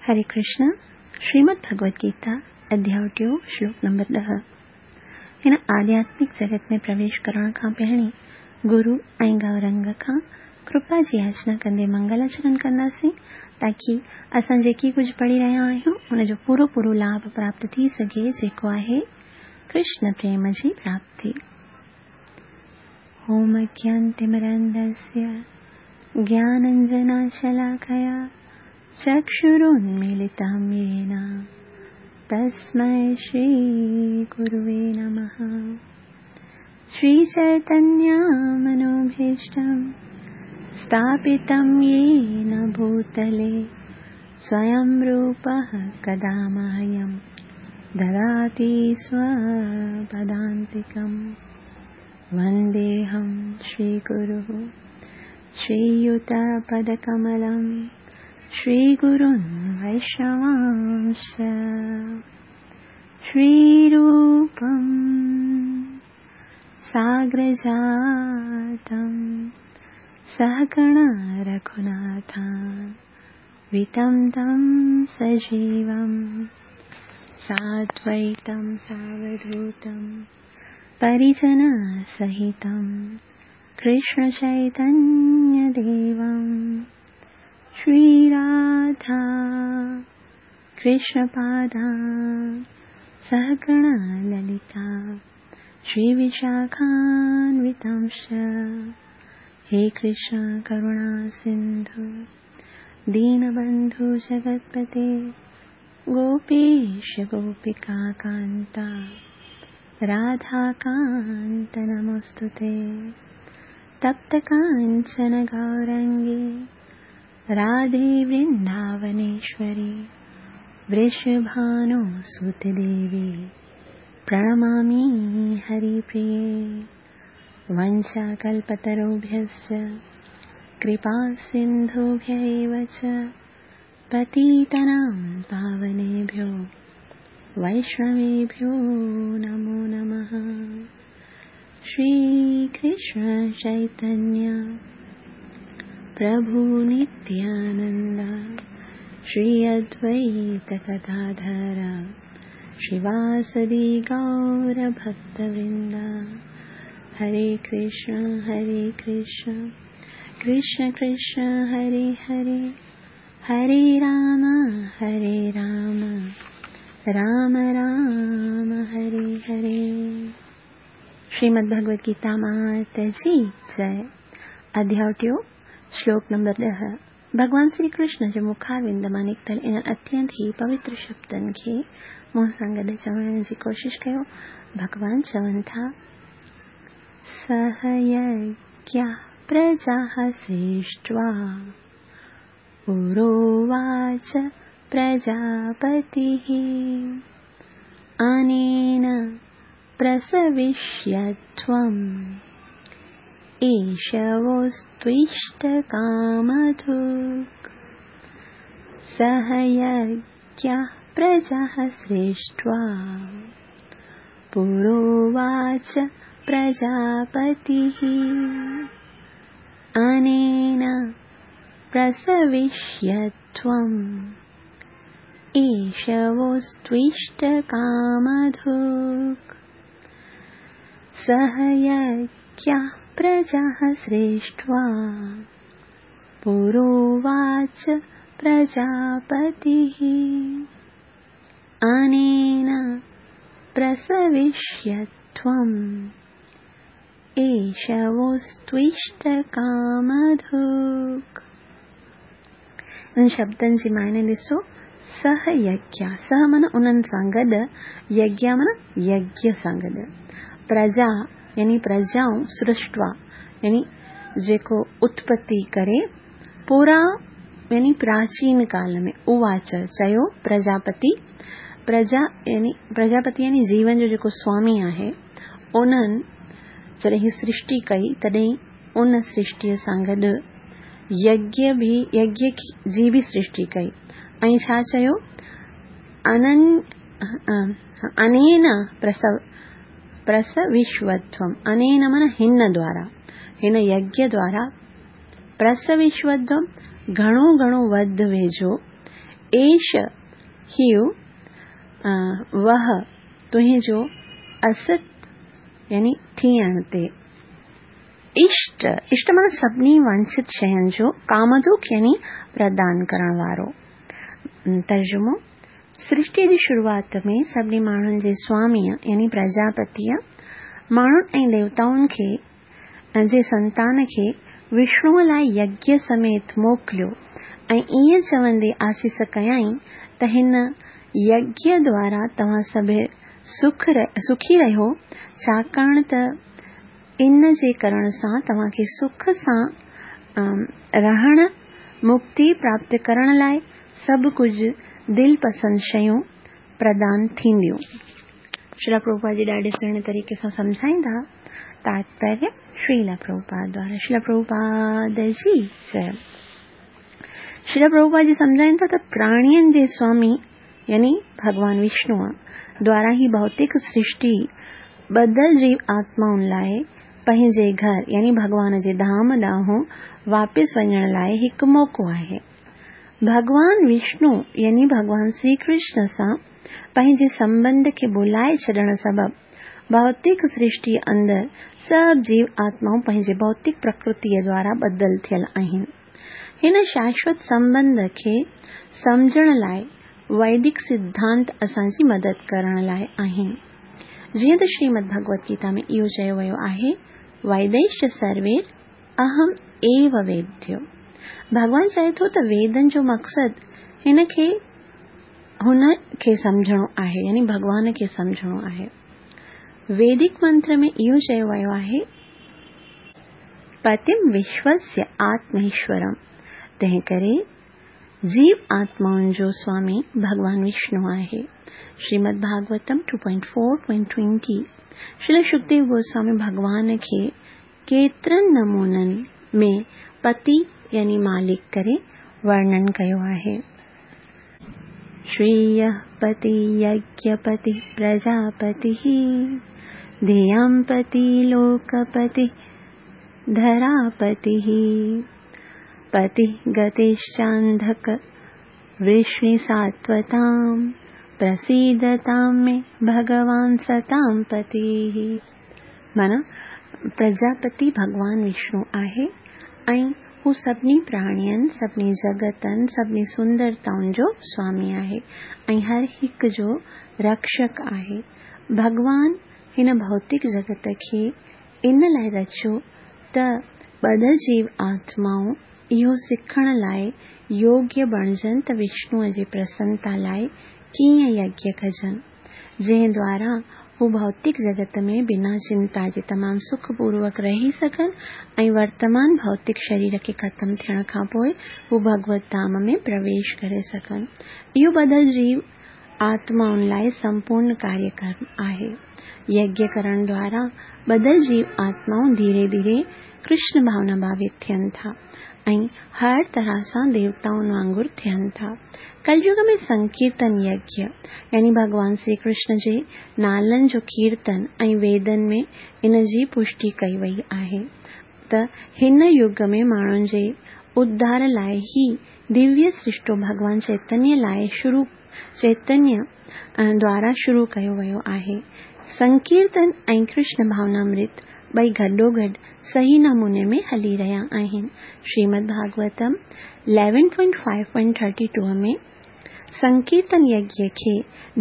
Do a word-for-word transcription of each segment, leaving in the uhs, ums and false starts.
हरे कृष्ण। श्रीमद् भगवद गीता अध्याय टियों श्लोक नंबर ॾह। हिन आध्यात्मिक जगत में प्रवेश करण खां पहिरीं गुरु ऐं गौरंग खां कृपा जी याचना कंदे मंगलाचरण कंदासीं ताकी असां जेकी कुझु पढ़ी रहिया आहियूं उनजो पूरो पूरो लाभ प्राप्त थी सघे, जेको आहे कृष्ण प्रेम जी प्राप्ति। ओम अज्ञानतिमिरान्धस्य ज्ञानाञ्जनशलाकया चक्षुरुन्मीलितं येन तस्मै श्रीगुरुवे नमः। श्रीचैतन्यमनोभीष्टं स्थापितं येन भूतले स्वयं रूपः कदा मह्यं ददाति स्वपदान्तिकं। वन्देऽहं श्रीगुरुः श्रीयुतपदकमलं श्रीगुरुन् वैष्णवांश्च। श्रीरूपं साग्रजातं सहगण रघुनाथान्वितं तं सजीवं साद्वैतं सावधूतं परिजनसहितं कृष्णचैतन्यदेवं। श्रीराधा कृष्णपादा सहगण ललिता श्रीविशाखान्वितांश्च। हे कृष्ण करुणा सिन्धु दीनबन्धु जगत्पते गोपेश गोपिकान्ता राधाकान्त नमोऽस्तुते। तप्तकाञ्चन गौरङ्गे राधे वृन्दावनेश्वरी वृषभानुसुते देवी प्रणमामि हरिप्रिये। वंशाकल्पतरुभ्यश्च कृपासिन्धुभ्य एव च पतितानां पावनेभ्यो वैष्णवेभ्यो नमो नमः। श्रीकृष्ण चैतन्य प्रभु नित्यानंद श्री अद्वैत गदाधर श्रीवासदि गौर भक्तवृंद। हरे कृष्ण हरे कृष्ण कृष्ण कृष्ण हरे हरे, हरे राम हरे राम राम राम हरे हरे। श्रीमद् भगवद गीता मात जी जय। अध्याय टियों श्लोक नंबर ॾह। भॻवान श्री कृष्ण जे मुखारविंद मां निकितल इन्हनि अत्यंत ई पवित्र शब्दनि खे मूं सां गॾु चवण जी कोशिशि कयो। भॻवान चवनि था, सह यज्ञा प्रजाः सृष्ट्वा पुरोवाच प्रजापतिः अनेन प्रसविष्यध्वम् एषवोस्त्विष्टकामधुक्। सह यज्ञा प्रजाः सृष्ट्वा पुरोवाच प्रजापतिः अनेन प्रसविष्यध्वम् एषवोस्त्विष्टकामधुक्। सह यज्ञा प्रजाः सृष्ट्वा पुरोवाच प्रजापतिः अनेन प्रसविष्यध्वम् एषवोस्त्विष्टकामधुक्। इन शब्दनि जी मायने ॾिसो, सह यज्ञ, सह माना उन्हनि सां गॾु, यज्ञ माना यज्ञ सां गॾु, प्रजा यानी प्रजाऊं, सृष्ट्वा यानी जेको उत्पत्ति करे, पूरा यानी प्राचीन काल में, उवाच चयो प्रजापति, प्रजा यानी प्रजापति यानी जीवन जो जेको स्वामी आहे, उन्हनि जॾहिं सृष्टि कई तॾहिं उन सृष्टीअ सां गॾु यज्ञ बि यज्ञ जी बि सृष्टि कई। ऐं छा चयो, अनन अनेन प्रसव प्रसविश्वध्वम्, अनेन माना हिन द्वारा, हिन यज्ञ द्वारा प्रसविश्वध्वम् घणो घणो वध वेझो, एष हीउ वह तुंहिंजो असत यानी थियण ते। इष्ट, इष्ट माना सभिनी वांछित शयुनि जो कामदुख यानी प्रदान करण वारो। तर्जुमो, सृष्टि जी शुरूआत में सभिनी माण्हुनि जे स्वामीअ यानी प्रजापतीअ माण्हुनि ऐं देवताउनि खे जे संतान खे विष्णुअ लाइ यज्ञ समेत मोकिलियो ऐं ईअं चवंदे आसीस कयाईं त हिन यज्ञ द्वारा तव्हां सभु सुख सुखी रहियो, छाकाणि त इन जे करण सां तव्हांखे सुख सां रहण, मुक्ति प्राप्त करण लाइ सभु कुझु दिलि पसंदि शयूं प्रदान थींदियूं। श्रील प्रभुपाद जी ॾाढे सुहिणे तरीक़े सां सम्झाईंदा। तात्पर्य श्रील प्रभुपाद द्वारा। श्रील प्रभुपाद जी जय। श्रील प्रभुपाद जी सम्झाइनि था त प्राणियुनि जे स्वामी यानी भॻवान विष्णुअ द्वारा ही भौतिक सृष्टि ॿधल जीव आत्माउनि लाइ पंहिंजे घर यानी भॻवान जे धाम ॾांहुं वापसि वञण लाइ हिकु मौक़ो आहे। भॻवान विष्णु यानी भॻवान श्री कृष्ण सां पंहिंजे संबंध खे भुलाए छॾण सबबु भौतिक सृष्टि अंदरि सभु जीव आत्माऊं पंहिंजे भौतिक प्रकृतीअ द्वारा ॿधल थियल आहिनि। हिन शाश्वत संबंध खे सम्झण लाइ वैदिक सिद्धांत असांजी मदद करण लाइ आहिनि। जीअं त श्रीमद् भगवत गीता में इहो चयो वियो आहे, वैदैश्च सर्वे अहम एव वेद्य। भॻवान चए थो त वेदनि जो मक़सदु हिन खे हुन खे सम्झणो आहे, यानी भॻवान खे सम्झणो आहे। वैदिक मंत्र में इहो चयो वियो आहे, पतिम विश्वस्य आत्मेश्वरम। तंहिं करे जीव आत्माउनि जो स्वामी भॻवान विष्णु आहे। Shrimad Bhagavatam two point four point twenty. Srila Shukdev Goswami भॻवान खे केतिरनि नमूननि में पति यानी मालिक करे वर्णन कयो आहे। श्रेयः पति यज्ञपति प्रजापतिः धियं पति लोकपति धरापतिः पति गतिश्चान्धक वृष्णिसात्वतां प्रसीदतां मे भगवान सतां पतिः। माना प्रजापति भगवान विष्णु आहे ऐं हू सभिनी प्राणियुनि, सभिनी जगतनि, सभिनी सुंदरताउनि जो स्वामी आहे ऐं हर हिक जो रक्षक आहे। भॻवान हिन भौतिक जगत खे इन लाइ रचियो त ॿधल जीव आत्माऊं इहो सिखण लाइ योग्य बणिजनि त विष्णुअ जे प्रसन्नता लाइ कीअं यज्ञ कजनि, जंहिं द्वारा हू भौतिक जगत में बिना चिंता जे तमामु सुखपूर्वक रही सघनि ऐं वर्तमान भौतिक शरीर खे ख़तमु थियण खां पोइ हू भगवत धाम में प्रवेश करे सघनि। इहो ॿधल जीव आत्माउनि लाइ संपूर्ण कार्यक्रम आहे। यज्ञ करण द्वारा ॿधल जीव आत्माऊं धीरे धीरे कृष्ण भावना भावित थियनि था ऐं हर तरह सां देवताउनि वांगुरु थियनि था। कलयुग में संकीर्तन यज्ञ यानी भॻवान श्री कृष्ण जे नालनि जो कीर्तन ऐं वेदनि में इन जी पुष्टि कई वई आहे त हिन युग में माण्हुनि जे उद्धार लाइ ही दिव्य सृष्टो भॻवान चैतन्य लाइ शुरू चैतन्य द्वारा शुरू कयो वियो आहे। संकीर्तन ऐं कृष्ण भावनामृत ॿई गॾोगॾु सही नमूने में हली रहिया आहिनि। Shrimad Bhagavatam eleven point five point thirty two में संकीर्तन यज्ञ खे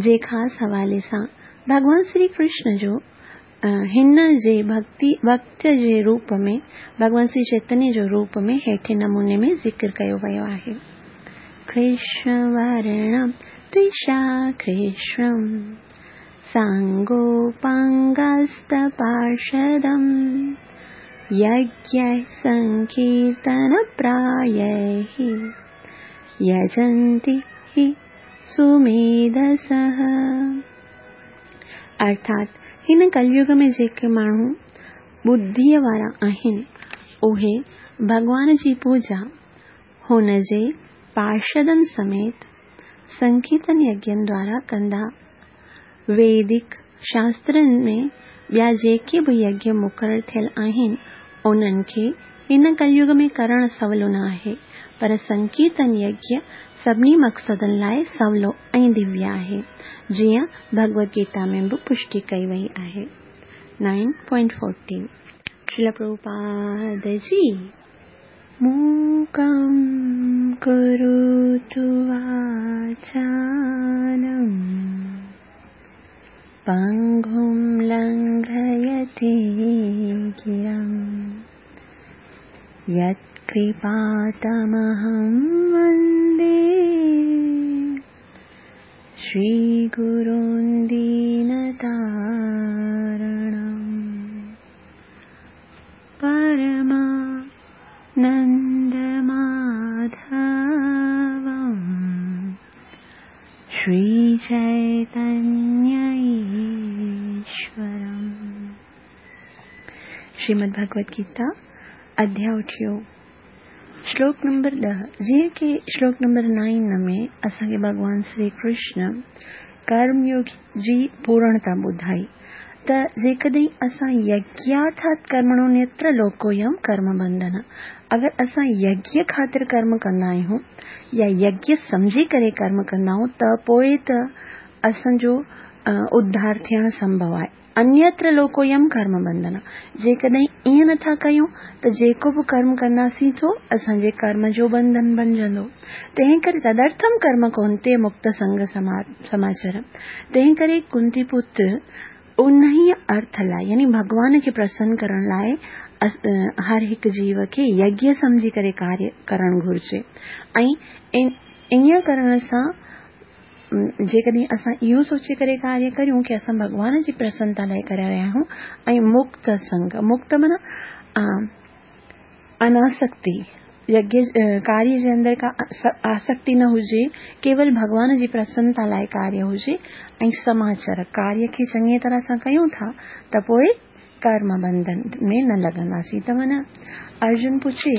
जे ख़ासि हवाले सां भॻवान श्री कृष्ण जो हिन जे भक्ति भक्त जे रूप में भॻवान श्री चैतन्य जो रूप में हेठे नमूने में ज़िक्र कयो वियो आहे। कृष्ण वर्णं त्विषा कृष्णं साङ्गोपाङ्गस्तपार्षदं यज्ञैः सङ्कीर्तनप्रायैः यजन्ति हि सुमेधसः। अर्थात हिन कलयुग में जेके माण्हू बुद्धीअ वारा आहिनि उहे भॻवान जी पूजा हुन जे पार्षदनि समेत संकीर्तन यज्ञनि द्वारा कंदा। वैदिक शास्त्रनि में ॿिया जेके बि यज्ञ मुक़ररु थियल आहिनि उन्हनि खे हिन कलयुग में करणु सवलो न आहे, पर संकीर्तन यज्ञ सभिनी मक़सदनि लाइ सवलो ऐं दिव्य आहे, जीअं भगवद गीता में बि पुष्टि कई वई आहे। Nine point fourteen Shrila Prabhupada ji. मूकं करोतु वाचालं पङ्गुं लङ्घयते गिरिं यत्कृपातमहं वन्दे श्रीगुरुं दीनतारणं परमानन्दमाधवं श्रीचैतन्यईश्वरम्। श्रीमद् भगवद गीता अध्याय अठियो श्लोक नंबर ॾह। जीअं की श्लोक नंबर नाइन में असांखे भॻवान श्री कृष्ण कर्मयोग जी पूर्णता ॿुधाई त जेकॾहिं असां यज्ञार्थात् कर्मणो लोकोयम कर्म बंधन, अगरि असां यज्ञ ख़ातिर कर्म कंदा आहियूं या यज्ञ सम्झी करे कर्म कंदा आहियूं त पोइ त असांजो उद्धार थियणु संभव आहे। अन्यत्र लोकोयम कर्म बंधन, जेकॾहिं ईअं नथा कयूं त जेको बि कर्म कंदासीं सो असांजे कर्म जो बंधन बणिजंदो। तंहिं करे तदर्थम कर्म कौन्तेय मुक्त संग समाचर। तंहिं करे कुंती पुत्र उन्ही अर्थ लाइ यानी भॻवान खे प्रसन्न करण लाइ हर हिकु जीव खे यज्ञ सम्झी करे कार्य करणु घुरिजे ऐं ईअं करण सां जेकॾहिं असां इहो सोचे करे कार्य करियूं की असां भॻवान जी प्रसन्नता लाइ करे रहिया आहियूं ऐं मुक्त संग, मुक्त माना अनासक्ति, यज्ञ कार्य जे अंदरि का आसक्ति न हुजे, केवल भॻवान जी प्रसन्नता लाइ कार्य हुजे ऐं समाचार कार्य खे चङी तरह सां कयूं था त पोइ कर्म बंधन में न लॻंदासीं। त माना अर्जुन पुछे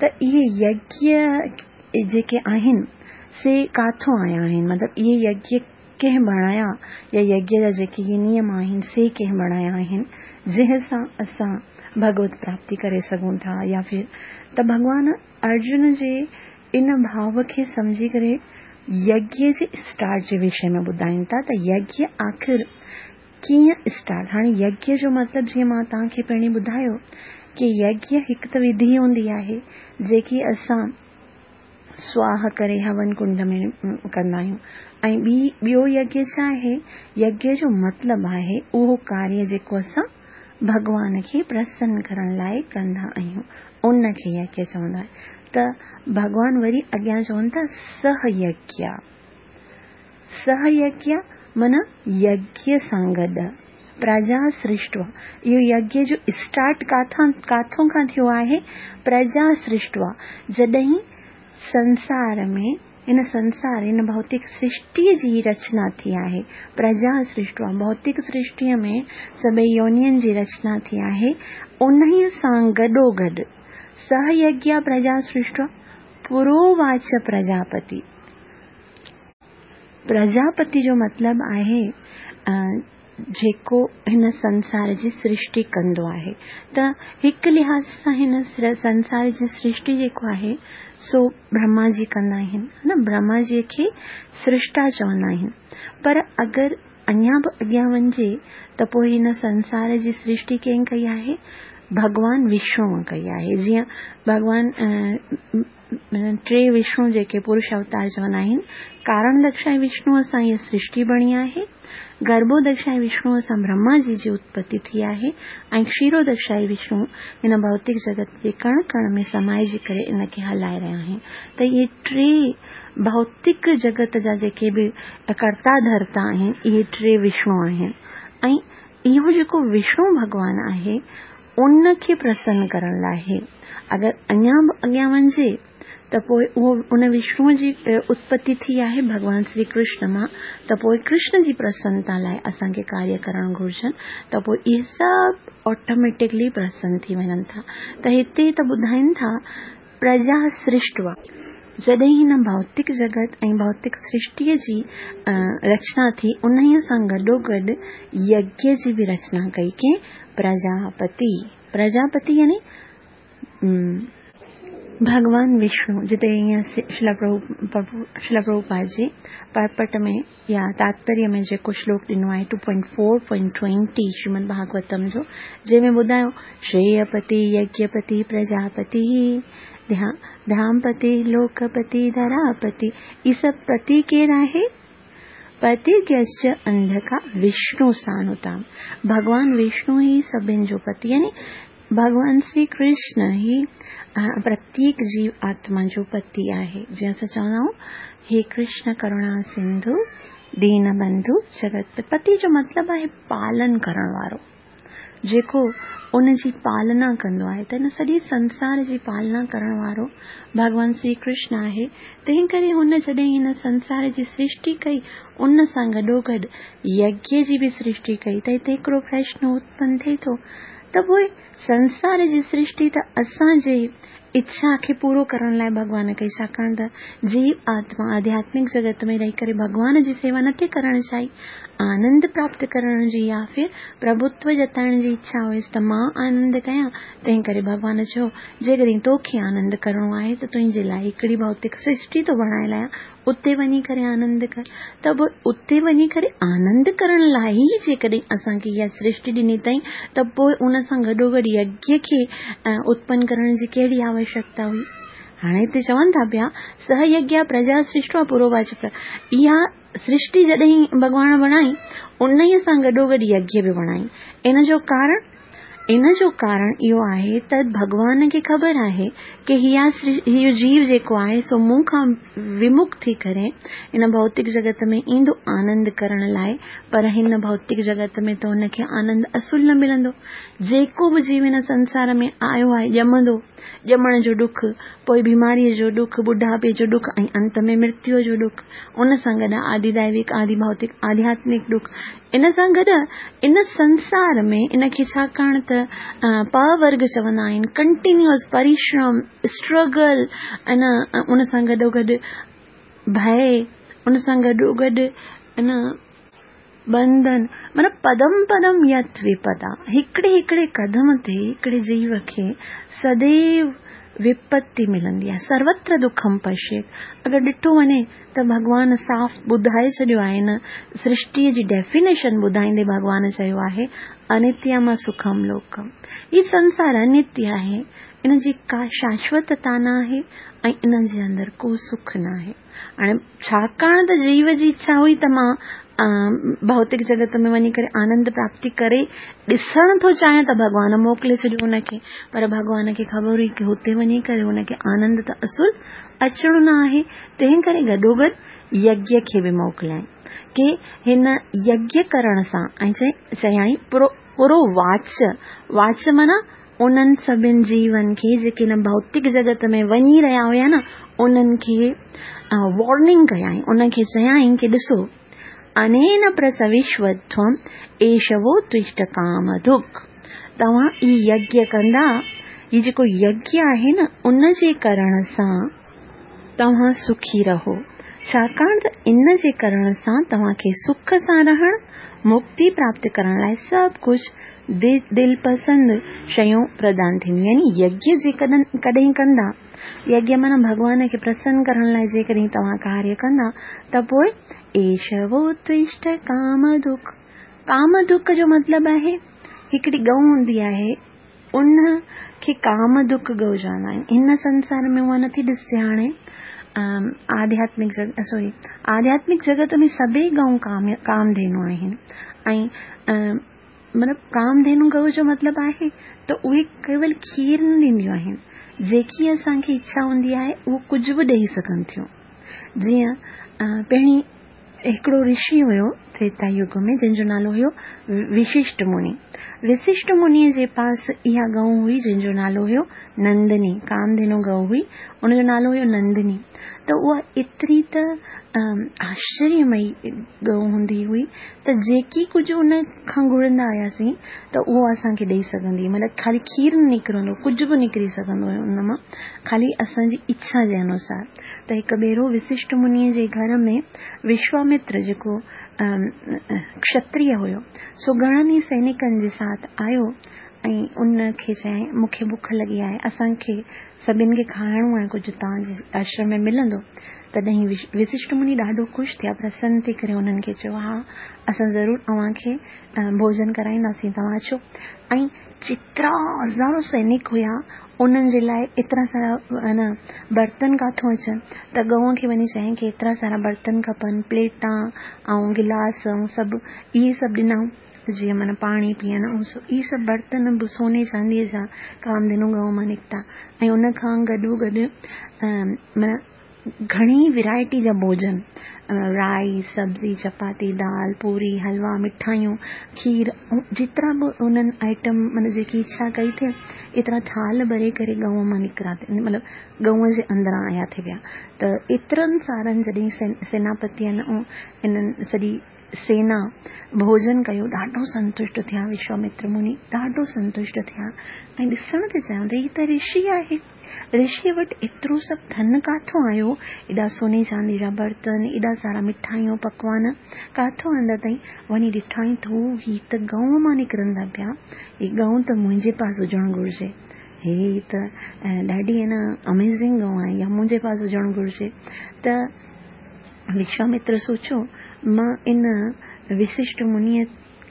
त इहे यज्ञ जेके आहिनि से काथों आया आहिनि, मतिलबु इहे यज्ञ कंहिं बणाया या यज्ञ जा जेके इहे नियम आहिनि से कंहिं बणाया आहिनि जंहिं सां असां भगवत प्राप्ति करे सघूं था या फिर त भॻवान अर्जुन जे इन भाव खे सम्झी करे यज्ञ जे स्टार्ट जे विषय में ॿुधाइनि था त यज्ञ आख़िर कीअं स्टार्ट। हाणे यज्ञ जो मतिलबु जीअं मां तव्हांखे पहिरीं ॿुधायो की यज्ञ हिकु त विधि हूंदी आहे जेकी असां स्वाह करे हवन कुंड में कंदा आहियूं ऐं ॿी ॿियो यज्ञ छा आहे, यज्ञ जो मतिलबु आहे उहो कार्य जेको असां भॻवान खे प्रसन्न करण लाइ कंदा आहियूं उनखे यज्ञ चवंदा आहिनि। त भॻवान वरी अॻियां चवनि था सह यज्ञ, सह यज्ञ माना यज्ञ सां गॾु प्रजा सृष्टवा। इहो यज्ञ जो स्टार्ट काथां काथों खां थियो आहे? प्रजा सृष्टवा। जॾहिं संसार में इन संसार इन भौतिक सृष्टीअ जी रचना थी आहे, प्रजा सृष्टवा भौतिक सृष्टीअ में सभई योनियुनि जी रचना थी आहे, उन्हीअ सां गॾोगॾु सह यज्ञ प्रजा सृष्टवा पुरोवाच प्रजापति। प्रजापति जो मतिलबु आहे जेको हिन संसार जी सृष्टि कंदो आहे। त हिकु लिहाज़ सां हिन संसार जी सृष्टि जेको आहे सो ब्रह्मा जी कंदा आहिनि, न ब्रह्मा जी खे सृष्टा चवंदा आहिनि। पर अगरि अञा बि अॻियां वञिजे त पोइ हिन संसार जी सृष्टि कंहिं कई आहे? भॻवान विष्णुअ कई आहे। जीअं भॻवान टे विष्णु जेके पुरुष अवतार चवंदा आहिनि, कारण दक्षाए विष्णुअ सां हीअ सृष्टि बणी आहे, गर्भोदक्षाए विष्णुअ सां ब्रह्मा जी जी उत्पत्ति थी आहे ऐं क्षीरोदक्षाए विष्णु हिन भौतिक जगत जे कण कण में समाइजी करे इन खे हलाए रहिया आहिनि। त इहे टे भौतिक जगत जा जेके बि कर्ता धर्ता आहिनि इहे टे विष्णु आहिनि ऐं इहो जेको विष्णु भॻवान आहे उनखे प्रसन्न करण लाइ अगरि अञा बि अॻियां वञिजे त पोइ उहो उन विष्णुअ जी उत्पत्ति थी आहे भॻवान श्री कृष्ण मां, त पोइ कृष्ण जी प्रसन्नता लाइ असांखे कार्य करणु घुरिजनि त पोइ इहे सभु ऑटोमेटिकली प्रसन्न थी वञनि था। त हिते त ॿुधाइनि था प्रजा सृष्टवा। जॾहिं हिन भौतिक जगत ऐं भौतिक सृष्टीअ जी रचना थी उन्हीअ सां गॾोगॾु यज्ञ जी बि रचना कई कंहिं? प्रजापति। प्रजापति यानी भॻवान विष्णु जिते ईअं श्रील प्रभुपाद जी परपट में या तात्पर्य में जेको श्लोक ॾिनो आहे two point four point twenty Shrimad Bhagavatam जो, जंहिंमें ॿुधायो श्रेयपति यज्ञपति प्रजापति धामपति लोकपति धरापति, इहे सभु पति केरु आहे? पतिर्यश्च अंधका विष्णु सानुताम। भॻवान विष्णु ई सभिनि जो पति, यानी भॻवान श्री कृष्ण ई प्रत्येक जीव आत्मा जो पति आहे। जीअं असां चवंदा आहियूं हे कृष्ण करुणा सिंधु दीन बंधु जगत। पति जो मतिलबु आहे पालन करण वारो, जेको उन जी पालना कंदो आहे। त हिन सॼी संसार जी पालना करण वारो भॻवान श्री कृष्ण आहे। तंहिं करे हुन जॾहिं हिन संसार जी सृष्टि कई, उन सां गॾोगॾु यज्ञ जी बि सृष्टि कई। त हिते हिकिड़ो प्रश्न उत्पन्न थिए थो त पोइ संसार जी सृष्टि त असांजे इच्छा खे पूरो करण लाइ भॻवान कई, छाकाणि त जीव आत्मा आध्यात्मिक जगत में रही करे भॻवान जी सेवा नथी करणु चाही, आनंद प्राप्त करण जी या फिर प्रभुत्व जताइण जी इच्छा हुयसि त मां आनंद कयां। तंहिं करे भॻवान चयो जेकॾहिं तोखे आनंद करिणो आहे त तुंहिंजे लाइ हिकिड़ी भौतिक सृष्टि थो बणाए लायां, उते वञी करे आनंद कर। त पोइ उते वञी करे आनंद करण लाइ ई जेकॾहिं असांखे इहा सृष्टि ॾिनी अथई त पोइ उन सां गॾोगॾु यज्ञ खे उत्पन्न करण जी कहिड़ी आवश्यकता हुई? हाणे हिते चवनि था पिया सह यज्ञ प्रजा सृष्टि पुरोवाच। इहा सृष्टि जॾहिं भॻवान बणाई उन सां गॾोगॾु यज्ञ बि बणाई। इन जो कारण इन जो कारण इहो आहे त भॻवान खे ख़बर आहे की इहा इहो जीव जेको आहे सो मूं खां विमुख थी करे इन भौतिक जगत में ईंदो आनंद करण लाइ, पर हिन भौतिक जगत में त हुनखे आनंद असुल न मिलंदो। जेको बि जीव हिन संसार में आयो आहे ॼमंदो, ॼमण जो ॾुख, पोइ बीमारीअ जो ॾुख, ॿुढापे जो ॾुख ऐं अंत में मृत्यूअ जो ॾुख, उन सां गॾु आदिदैविक, आदिभौतिक, आध्यात्मिक ॾुख। इन सां गॾु इन संसार में इनखे छाकाणि त पवर्ग चवंदा आहिनि, कंटिन्यूअस परिश्रम, स्ट्रगल, ऐं उन सां गॾोगॾु भय, उन सां गॾोगॾु न बंधन, माना पदम पदम यत विपदा, हिकिड़े हिकिड़े कदम ते हिकिड़े जीव खे सदैव विपत्ति मिलंदी आहे। सर्वत्र दुखम पश्येत। अगरि ॾिठो वञे त भॻवान साफ़ ॿुधाए छॾियो आहे, न सृष्टीअ जी डेफिनेशन ॿुधाईंदे भॻवान चयो आहे अनित्यम सुखम लोकम। ही संसार अनित्य आहे, इन जी का शाश्वतता न आहे ऐं इन जे अंदरि को सुख न आहे। हाणे छाकाणि त जीव जी इच्छा हुई त मां भौतिक जगत में वञी करे आनंद प्राप्ति करे ॾिसणु थो चाहियां त भॻवान मोकिले छॾियो हुनखे, पर भॻवान खे ख़बर हुई की हुते वञी करे हुनखे आनंद त असुल अचिणो न आहे। तंहिं करे गॾोगॾु यज्ञ खे बि मोकिलियईं की हिन यज्ञ करण सां ऐं चयईं पुरो वाच, वाच माना उन्हनि सभिनि जीवनि खे जेके हिन भौतिक जगत में वञी रहिया हुया न, उन्हनि खे वार्निंग कयईं, उनखे चयईं की ॾिसो अनेन प्रसविष्वध्वम् एषवो तुष्ट कामधुक्। तव्हां इहो यज्ञ कंदा, हीउ जेको यज्ञ आहे न उन जे करण सां तव्हां सुखी रहो, छाकाणि त इन जे करण सां तव्हांखे सुख सां रहण, मुक्ति प्राप्त करण लाइ सभु कुझु दिल पसंद शयूं प्रदान थींदियूं। यानी यज्ञ जेकॾहिं कॾहिं कंदा, यज्ञ माना भॻवान खे प्रसन्न करण लाइ जेकॾहिं तव्हां कार्य कंदा त पोइ एषवो तुष्ट कामदुख। कामदुख जो मतिलबु आहे हिकिड़ी गऊ हूंदी आहे उन खे कामदुख गऊ चवंदा आहिनि। हिन संसार में उहा नथी ॾिसजे हाणे, आध्यात्मिक जगत सॉरी आध्यात्मिक जगत में सभई गऊ काम कामधेनु आहिनि ऐं मतिलबु कामधेनु गऊ जो मतिलबु आहे त उहे केवल खीर न ॾींदियूं आहिनि, जेकी असांखे इच्छा हूंदी आहे उहो कुझु बि ॾेई सघनि थियूं। जीअं पहिरीं हिकिड़ो ऋषि हुयो त्रेता युग में जंहिंजो नालो हुयो विशिष्ट मुनि। विशिष्ट मुनीअ जे पास इहा गऊ हुई जंहिंजो नालो हुयो नंदिनी, कामधेनु गऊ हुई, उनजो नालो हुयो नंदिनी। त उहा एतिरी त आश्चर्यमयी गऊ हूंदी हुई त जेकी कुझु उन खां घुरंदा हुआसीं त उहो असांखे ॾेई सघंदी, मतिलबु ख़ाली खीर न निकिरंदो, कुझु बि निकिरी सघंदो हुयो उन मां, ख़ाली असांजी इच्छा जे अनुसार। त हिकु भेरो विशिष्ट मुनीअ जे घर में विश्वामित्र जेको क्षत्रिय हुयो सो घणनि ई सैनिकनि जे साथ आयो ۽ ان کي چيائين مون کي بک لڳي آهي، اسان کي سڀن کي کائڻو آهي، ڪجهه توهان جي آشرم ۾ ملندو؟ تڏهن وششٽ مني ڏاڍو خوش ٿيا، پرسن ٿي ڪري انهن کي چيو ها اسان ضرور اوهان کي ڀوڄن ڪرائينداسين، توهان اچو. ۽ جيترا هزارو سينڪ هيا انهن جي لاءِ ايترا سارا نه برتن ڪاٿو اچن، ته ڳئون کي وڃي چيائين ڪه ايترا سارا برتن کپن، پليٽا ۽ گلاس ۽ سڀ اهي سڀ ڏنائون جيئن معنيٰ پاڻي پيئڻ ۽ اهي سڀ برتن به سوني چانديءَ جا ڪامڌينو ڳئون مان نڪتا. ۽ ان کان گڏو گڏ معنيٰ گهڻي ورائٽي جا ڀوڄن، رائس، سبزي، چپاتي، دال، پوري، حلوا، مٺايون، کير، جيترا به انهن آئٽم معنيٰ جيڪي اڇا ڪئي ٿي ايترا ٿال ڀري ڪري ڳئون مان نڪرا ٿي، مطلب ڳئون جي اندران آيا ٿي ويا. ته ايترن سارن جڏهن سيناپتين ۽ انهن سڄي سينا ڀوڄن ڪيو، ڏاڍو سنتشٽ ٿيا وشوامتر مني، ڏاڍو سنتشٽ ٿيا ۽ ڏسڻ تي چيائون ته هي ته رشي آهي، رشيءَ وٽ ايترو سڀ ڌن ڪاٿو آيو، ايڏا سوني چاندي جا برتن، ايڏا سارا مٺايون پڪوان ڪاٿو آندا اٿئي؟ وڃي ڏٺائين ته هي ته ڳئون مان نڪرن ٿا پيا، هي ڳئون ته منهنجي پاس هجڻ گهرجي، هي ته ڏاڍي نه اميزنگ ڳئون آهي، اها منهنجي پاس هجڻ گهرجي. ته وشوامتر سوچيو مان ان وششٽ منيءَ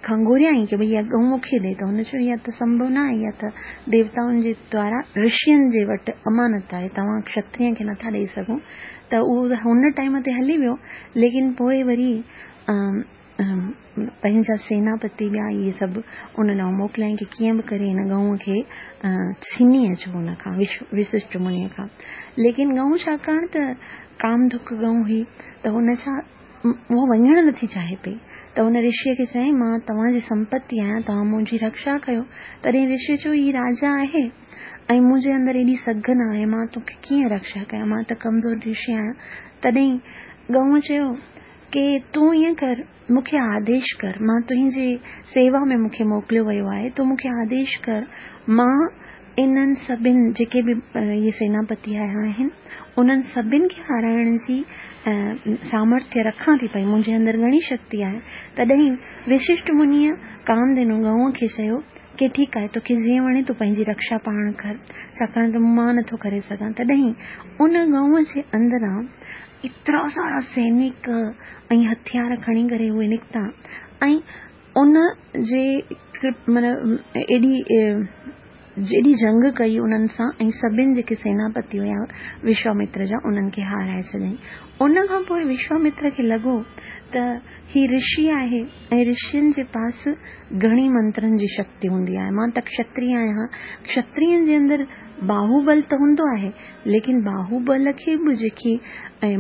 کان گهريائين ڪه ڀئي اها ڳئون مون کي ڏي، ته هن چيو اها ته سنڀو نه آهي، اها ته ديوتائن جي دوارا رشين جي وٽ امانت آهي، توهان ڪشتريه کي نٿا ڏيئي سگهو. ته اهو هن ٽائيم تي هلي ويو، ليڪن پوءِ وري پنهنجا سيناپتي ٻيا اهي سڀ ان ڏانهن موڪليائين ڪه ڪيئن به ڪري هن ڳئون کي ڇني اچو هن کان، وششٽ منيءَ کان. ليڪن ڳئون ڇاڪاڻ ته ڪامڌڪ ڳئون هئي ته هن ڇا اهو وڃڻ نٿي چاهي پئي، ته هن رشيءَ کي چيائين مان توهان جي سمپتي آهيان، توهان منهنجي رڪشا ڪيو. تڏهن رشيءَ چيو هي راجا آهي ۽ منهنجي اندر ايڏي سگهه نه آهي، مان توکي ڪيئن رڪشا ڪيان، مان ته ڪمزور رشي آهيان. تڏهن ڳئون چيو ڪه تون ائين ڪر، مون کي آديش ڪر، مان تنهنجي سيوا ۾ مون کي موڪليو ويو آهي، تون مون کي آديش ڪر، مان انهن سڀني جيڪي به اهي سيناپتي آيا آهن انهن سڀني کي هارائڻ جي سامرٿيه رکان ٿي پئي، منهنجي اندر گهڻي شڪتي آهي. تڏهن وششٽ منيءَ ڪامڌينو ڳئون کي چيو ڪه ٺيڪ آهي، توکي جيئن وڻي تون پنهنجي رڪشا پاڻ ڪر، ڇاڪاڻ ته مان نٿو ڪري سگهان. تڏهن ان ڳئون جي اندران ايترا سارا سينڪ ۽ هٿيار کڻي ڪري اهي نڪتا ۽ ان جي معنيٰ ايڏي جيڏي جنگ ڪئي انهن سان ۽ سڀني جيڪي سيناپتي هئا وشوامتر جا انهن کي هارائي ڇڏيائين. ان کان پوءِ وشوامتر کي لڳو ته هي رشي آهي ۽ رشين جي پاس گهڻي منترن جي شڪتي هوندي آهي، مان ته ڪشتريه آهيان، ڪشترين جي اندر باهوبل ته هوندو آهي، ليڪن باهوبل کي به جيڪي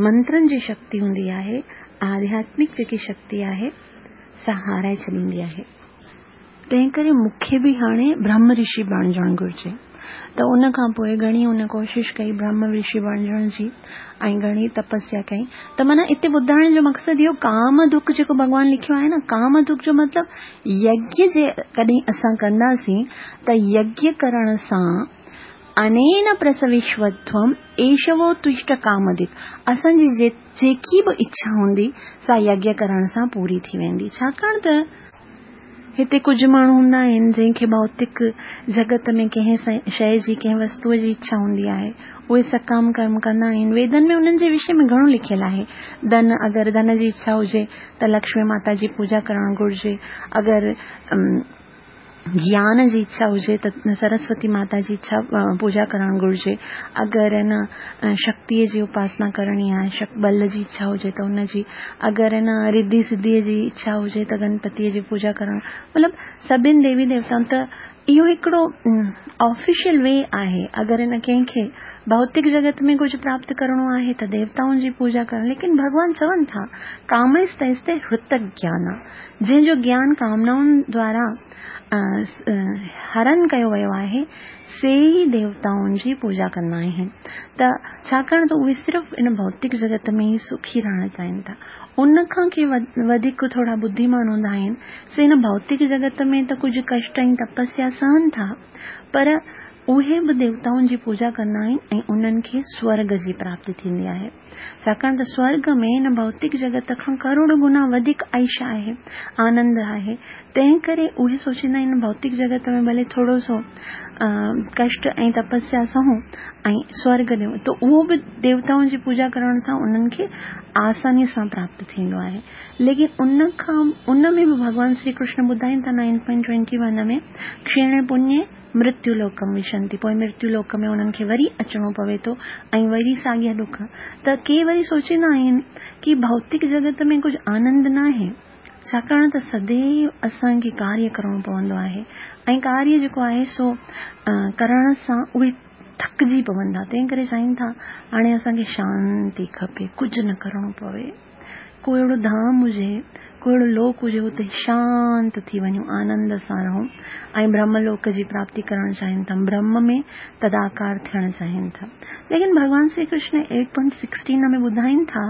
منترن جي شڪتي هوندي آهي، آڌياتمڪ جيڪي شڪتي آهي سا هارائي ڇڏيندي آهي. تنهن ڪري مون کي به هاڻي برهم رشي بڻجڻ گهرجي. ته ان کان پوءِ گهڻي هن ڪوشش ڪئي برهم رشي بڻجڻ جي ۽ گهڻي تپسيا ڪئي. ته معنيٰ هتي ٻڌائڻ جو مقصد اهو ڪام ڌڪ جيڪو ڀڳوان لکيو آهي نه، ڪام ڌڪ جو مطلب يگيه جي ڪڏهن اسان ڪنداسين ته يگيه ڪرڻ سان انين پرسوشوتوم ايشوو تشٽ ڪامڌڪ، اسان جي جيڪي به اڇا هوندي سا يگيه ڪرڻ سان پوري ٿي ويندي. ڇاڪاڻ ته هتي ڪجهه ماڻهو هوندا آهن جنهن کي ڀوتڪ جڳت ۾ ڪنهن شيءِ جي ڪنهن وستوءَ جي اڇا هوندي آهي، اهي سڪام ڪرم ڪندا آهن. ويدن ۾ انهن جي وشي ۾ گهڻو لکيل آهي. ڌن، اگر ڌن جي اڇا هجي ته لڪشمي ماتا جي پوڄا ڪرڻ گهرجي، اگر گيان جي اڇا هجي ته سرسوتي ماتا جي اڇا پوڄا ڪرڻ گهرجي، اگر نه شڪتيءَ جي اپاسنا ڪرڻي آهي، بل جي اڇا هجي ته هن جي، اگر نه رڌي سڌيءَ جي اڇا هجي ته گڻپتيءَ جي پوڄا ڪرڻ، مطلب سڀني ديوي ديوتائن. ته اهو هڪڙو آفيشل وي آهي. اگر هن ڪنهن کي ڀوتڪ جڳت ۾ ڪجهه پراپت ڪرڻو آهي ته ديوتائن جي پوڄا ڪرڻ، ليڪن ڀڳوان چون ٿا ڪامستي هرت گيان، جنهن جو گيان ڪامنائن دوارا هرن ڪيو ويو آهي، سي ئي ديوتائن جي پوڄا ڪندا آهن. ته ڇاڪاڻ ته اهي صرف ان ڀوتڪ جڳت ۾ ئي سکي رهڻ چاهين ٿا. ان کان ڪي وڌيڪ ٿورا ٻڌيمان هوندا آهن، سي هن ڀوتڪ جڳت ۾ ته ڪجهه ڪشٽ ۽ تپسيا سهن ٿا، پر اهي به ديوتائن جي پوڄا ڪندا آهن ۽ انهن کي سورڳ جي پراپتي ٿيندي آهي. ڇاڪاڻ ته سورڳ ۾ هن ڀوتڪ جڳت کان ڪروڙ گنا وڌيڪ عيش آهي، آنند آهي. تنهن ڪري اهي سوچيندا آهن ڀوتڪ جڳت ۾ ڀلي ٿورو سو ڪشٽ ۽ تپسيا سهون ۽ سورڳ ڏيون ته اهو به ديوتائن جي پوڄا ڪرڻ سان انهن کي آساني سان پراپت ٿيندو آهي. ليڪن ان کان ان ۾ به ڀڳوان شري ڪرشن ٻڌائين ٿا نائن پوائنٽ ٽوئنٽي ون ۾ ڪشيڻي پڃي مرتيو لوڪم وشنتي، پوءِ مرتيو لوڪ ۾ انهن کي وري اچڻو پوي ٿو ۽ وري ساڳيا ڏک. ته ڪي وري سوچيندا آهن ڪه ڀوتڪ جڳت ۾ ڪجهه آنند ناهي، ڇاڪاڻ ته سديو اسان کي ڪاريه ڪرڻو پوندو آهي ۽ ڪاريه جيڪو آهي سو ڪرڻ سان اهي ٿڪجي پون ٿا. تنهن ڪري چاهين ٿا هاڻي اسان کي شانتي کپي، ڪجهه نه ڪرڻو پوي، ڪو اهڙو ڌام هجي، ڪو اهڙو لوڪ هجي اتي شانت ٿي وڃون، آنند سان رهون ۽ برهم لوڪ جي پراپتي ڪرڻ چاهين ٿا، برهم ۾ تداڪار ٿيڻ چاهين ٿا. ليڪن ڀڳوان Shri Krishna eight point sixteen ۾ ٻڌائين ٿا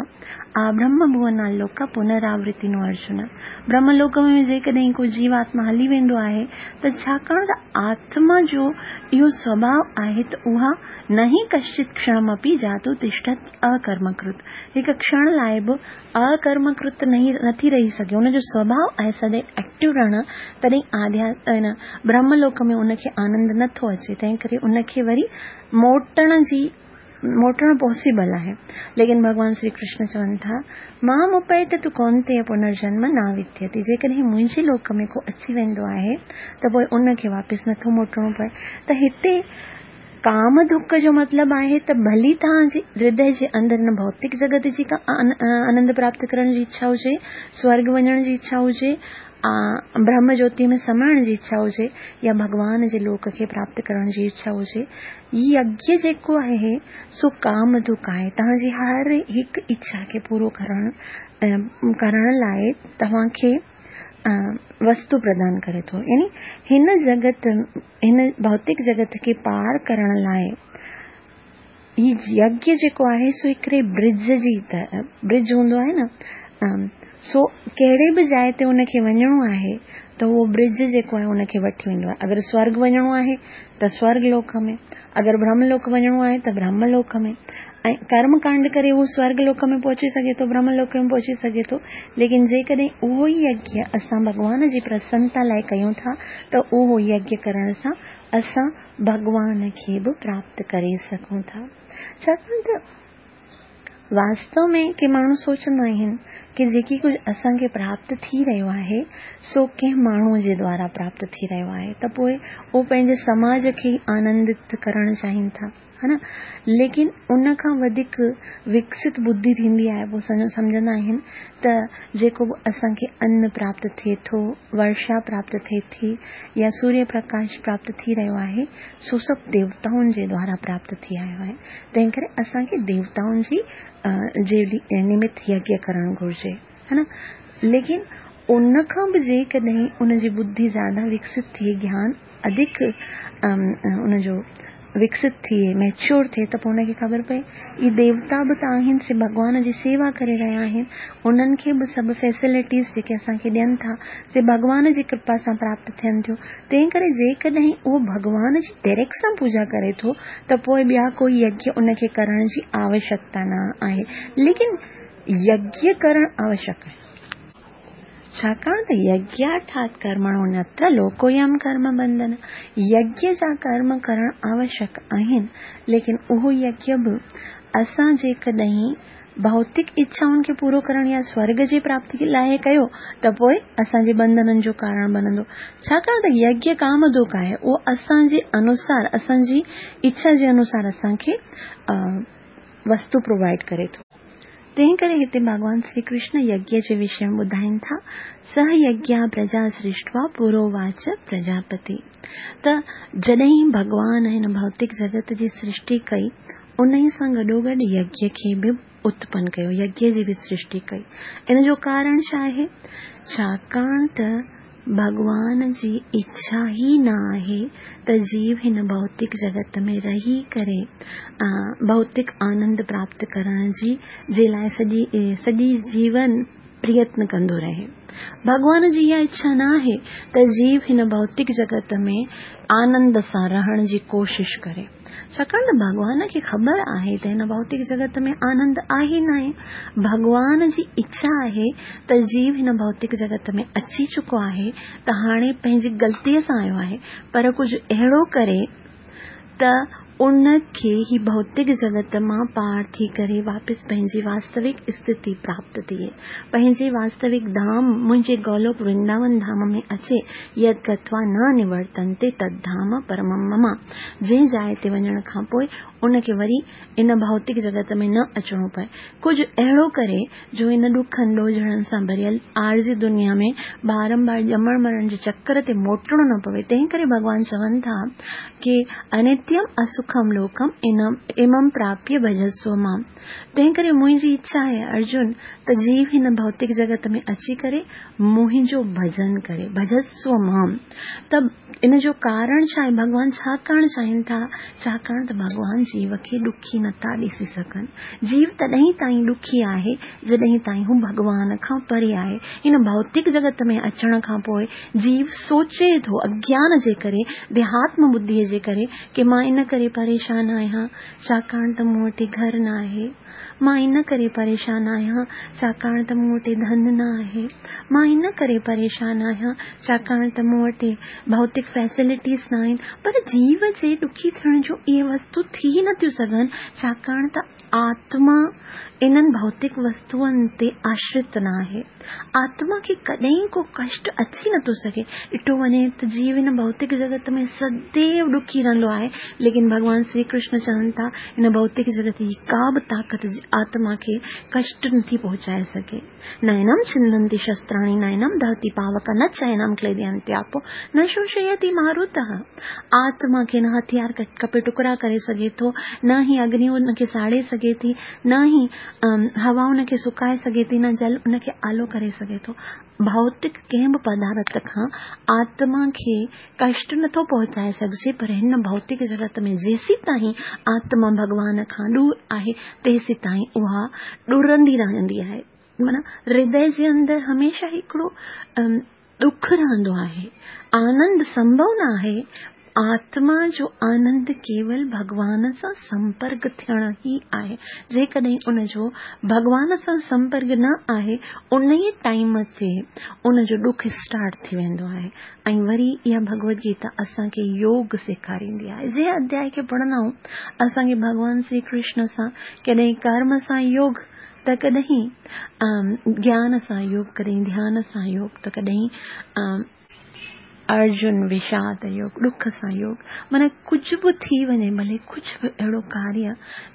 آبرهم ڀونا لوڪ پنراورتي نو ارجن. برهم لوڪ ۾ جيڪڏهن ڪو جيواتما هلي ويندو آهي ته ڇاڪاڻ ته آتما جو اهو سوڀاءُ آهي ته اها نه ئي ڪشچت ڪشڻمپي جاتو تشٺت اڪرمڪرت، هڪ ڪشڻ لاءِ به اڪرمڪرت نٿي رهي سگهي. ان جو سوڀاءُ آهي سدائين ايڪٽو رهڻ، تڏهن آڌيا برهم لوڪ ۾ ان کي آنند نٿو اچي، تنهن ڪري ان کي وري موٽڻ جي موٽڻ پاسيبل آهي. ليڪن ڀڳوان شري ڪرشن چون ٿا مان اپيت تون ڪونتي پنرجنم نه وديتي، جيڪڏهن منهنجي لوڪ ۾ ڪو اچي ويندو آهي ته پوءِ ان کي واپس نٿو موٽڻو پئي. ته هتي ڪام دک جو مطلب آهي ته ڀلي توهان جي هردي جي اندر هن ڀوتڪ جڳت جي ڪا آنند پراپت ڪرڻ جي اڇا هجي، سورڳ وڃڻ جي اڇا هجي، برهم جيوتي ۾ سمائڻ جي اڇا هجي يا ڀڳوان جي لوڪ کي پراپت ڪرڻ جي اڇا هجي، يگيه جيڪو آهي سو ڪام دک آهي. توهان جي هر هڪ اڇا کي پورو ڪرڻ ڪرڻ لاءِ توهان کي وستو پردان ڪري ٿو. يعني هن جڳت هن ڀوتڪ جڳت کي پار ڪرڻ لاءِ هي يگيه جيڪو آهي سو هڪڙي برج جي طرح، برج هوندو آهي نه، سو ڪهڙي به جاءِ تي ان کي وڃڻو آهي ته اهو برج جيڪو آهي ان کي وٺي ويندو آهي. اگر سورڳ وڃڻو آهي ته سورڳ لوڪ ۾، اگر برهم لوڪ وڃڻو آهي ته برهم لوڪ ۾، ۽ ڪرم ڪانڊ ڪري اهو سورڳ لوڪ ۾ پهچي سگهي ٿو، برهم لوڪ ۾ پهچي سگهي ٿو. ليڪن جيڪڏهن اهو ئي يگيه اسان ڀڳوان جي پرسنتا لاءِ ڪيون ٿا ته اهو يگيه ڪرڻ سان اسان ڀڳوان کي به پراپت ڪري سگهون ٿا. ڇاڪاڻ ته واستو ۾ ڪي ماڻهو سوچندا آهن ڪه جيڪي ڪجهه اسان کي پراپت ٿي رهيو آهي سو ڪنهن ماڻهوءَ جي دوارا پراپت ٿي رهيو آهي، ته پوءِ اهو پنهنجي سماج کي آنندت ڪرڻ چاهين ٿا، ها نه. ليڪن ان کان وڌيڪ وڪست ٻڌي ٿيندي آهي، پوءِ سمجهندا آهن ته جيڪو به اسان کي ان پراپت ٿئي ٿو، ورشا پراپت ٿئي ٿي يا سوريه پرڪاش پراپت ٿي رهيو آهي سو سڀ ديوتائن جي دوارا پراپت ٿي آيو آهي. تنهن ڪري اسان کي ديوتائن جي جي نمت يگيه ڪرڻ گهرجي، ها نه. ليڪن ان کان به جيڪڏهن ان جي ٻڌي زياده وڪست ٿئي، گيان اڌڪ ان جو وڪست ٿئي، ميچوئر ٿئي، ته پوءِ ان کي خبر پئي اهي ديوتا به ته آهن، سي ڀڳوان جي سيوا ڪري رهيا آهن، انهن کي به سڀ فيسلٽيز جيڪي اسان کي ڏين ٿا سي ڀڳوان جي ڪرپا سان پراپت ٿين ٿيون. تنهن ڪري جيڪڏهن اهو ڀڳوان جي ڊائريڪٽ سان پوڄا ڪري ٿو ته پوءِ ٻيا ڪوئي يگيه ان کي ڪرڻ جي آوشيڪتا نه آهي. ليڪن يگيه ڪرڻ آوشيڪ آهي، ڇاڪاڻ ته يگيارٿات ڪرمڻو نتر لوڪويم ڪرم بنڌن. يگيه جا ڪرم ڪرڻ آوشيڪ آهن، ليڪن اهو يگيه به اسان جيڪڏهن ڀوتڪ اڇائن کي پورو ڪرڻ يا سورڳ جي پراپتي لاءِ ڪيو ته پوءِ اسان جي بنڌنن جو ڪارڻ بڻندو. ڇاڪاڻ ته يگيه ڪام دک آهي، اهو اسان جي انوسار، اسان جي اڇا جي انوسار اسان کي وستو پرووائيڊ ڪري ٿو. تنهن ڪري هتي ڀڳوان شري ڪرشن يگيه جي وشي ۾ ٻڌائين ٿا، سه يگيه پرجا سرشٽوا پروواچ پرجاپتي. ته جڏهن ڀڳوان هن ڀوتڪ جڳت جي سرشٽي ڪئي، ان سان گڏوگڏ يگيه کي به اتپن ڪيو، يگيه جي به سرشٽي ڪئي. ان جو ڪارڻ ڇا آهي؟ ڇاڪاڻ ته ڀڳوان جي اڇا ئي نه آهي ته جيو هن ڀوتڪ جڳت ۾ رهي ڪري ڀوتڪ آنند پراپت ڪرڻ جي جي لاءِ سڄي سڄي جيون پريتن ڪندو رهي. ڀڳوان جي اها اڇا نه آهي ته جيو هن ڀوتڪ جڳت ۾ آنند سان رهڻ جي ڪوشش ڪري، ڇاڪاڻ ته ڀڳوان کي خبر آهي ته هن ڀوتڪ جڳت ۾ آنند آهي ناهي. ڀڳوان جي اڇا آهي ته جيو هن ڀوتڪ جڳت ۾ اچي چڪو آهي ته هاڻي پنهنجي غلطيء سان آيو آهي، پر ڪجهه اهڙو ڪري ته ان کي هي ڀوتڪ جڳت مان پار ٿي ڪري واپس پنهنجي واستوڪ اسٿتي پراپت ٿئي، پنهنجي واستوڪ ڌام منهنجي گولوڪ ورنداون ڌام ۾ اچي. يد گتوا نه نورتنتي تد ڌام پرمم مم، جنهن جاءِ تي وڃڻ کان پوءِ ان کي وري ان ڀوتڪ جڳت ۾ نه اچڻو پئي. ڪجهه اهڙو ڪري جو ان ڏکن ڏوجهڙن سان ڀريل عارضي دنيا ۾ بارمبار ڄمڻ مرڻ جي چڪر تي موٽڻو نه پوي. تنهن ڪري ڀڳوان چون ٿا ڪي انتيم اسکم لوڪم امم پراپيه ڀجسو مام. تنهن ڪري منهنجي اڇا آهي ارجن ته جيو هن ڀوتڪ جڳت ۾ اچي ڪري منهنجو ڀڄن ڪري، ڀجسو مام. ته ان جو ڪارڻ ڇا آهي؟ ڀڳوان ڇا ڪرڻ چاهين ٿا؟ ڇاڪاڻ ته ڀڳوان جيو کي ڏکي نٿا ڏسي سگهن. جيو تڏهن تائين ڏکي آهي جڏهن تائين هو ڀڳوان کان پري آهي. هن ڀوتڪ جڳت ۾ اچڻ کان پوءِ جيو سوچي ٿو اگيان جي ڪري، ديهاتم ٻڌيءَ جي ڪري ڪه مان ان ڪري پريشان آهيان ڇاڪاڻ ته مون وٽ گهر نه آهي، مان ان ڪري پريشان آهيان ڇاڪاڻ ته مون وٽ ڌن نه آهي، مان ان ڪري پريشان آهيان ڇاڪاڻ ته مون وٽ ڀوتڪ فيسلٽيز نه آهن. پر جيو جي ڏکي ٿيڻ جو اهي وستو ٿي نٿيون سگهن، ڇاڪاڻ ته آتما انهن ڀوتڪ وستوئن تي آشرت نه آهي. آتما کي ڪڏهن ڪو ڪشٽ اچي نٿو سگهي. ڏٺو وڃي ته جيو هن ڀوتڪ جڳت ۾ سديو ڏکي رهندو آهي، ليڪن ڀڳوان شري ڪرشن چون ٿا هن ڀوتڪ جڳت جي ڪا به طاقت آتما کي ڪشٽ نٿي پهچائي سگهي. نينم ڇندنتي شستراڻي نينم دهتي پاوڪ نه چينم ڪليدينتي آپو نه شوشيتي ماروتः. آتما کي نه هٿيار ڪپي ٽڪڙا ڪري سگهي ٿو، نه ئي اگني ان کي ساڙي سگهي ٿي، نه ئي هوا ان کي سڪائي سگهي ٿي، نه جل ان کي آلو ڪري سگهي ٿو. ڀوتڪ ڪنهن به پدارٿ کان آتما کي ڪشٽ نٿو پهچائي سگهجي، پر هن ڀوتڪ جڳت ۾ جيسين تائين آتما ڀڳوان کان ڏور آهي تيسين تائين اها ڏرندي رهندي آهي. معنيٰ هردي جي اندر هميشه هڪڙو ڏک رهندو آهي، آنند سنڀو نه آهي. آتما جو آنند ڪيول ڀڳوان سان سمپرڪ ٿيڻ ئي آهي. جيڪڏهن ان جو ڀڳوان سان سمپرڪ نه آهي ان ئي ٽائيم تي ان جو ڏک اسٽارٽ ٿي ويندو آهي. ۽ وري اها ڀڳوت گيتا اسان کي يوگ سيکاريندي آهي. جنهن اڌياءِ کي پڙهندا آهيون اسان کي ڀڳوان شري ڪرشن سان ڪڏهن ڪرم سان يوگ ته ڪڏهن گيان سان يوگ، ڪڏهن ڌيان سان يوگ، ته ڪڏهن ارجن وشاد يوگ، ڏک سان يوگ. معنيٰ ڪجهه به ٿي وڃي، ڀلي ڪجهه به اهڙو ڪاريه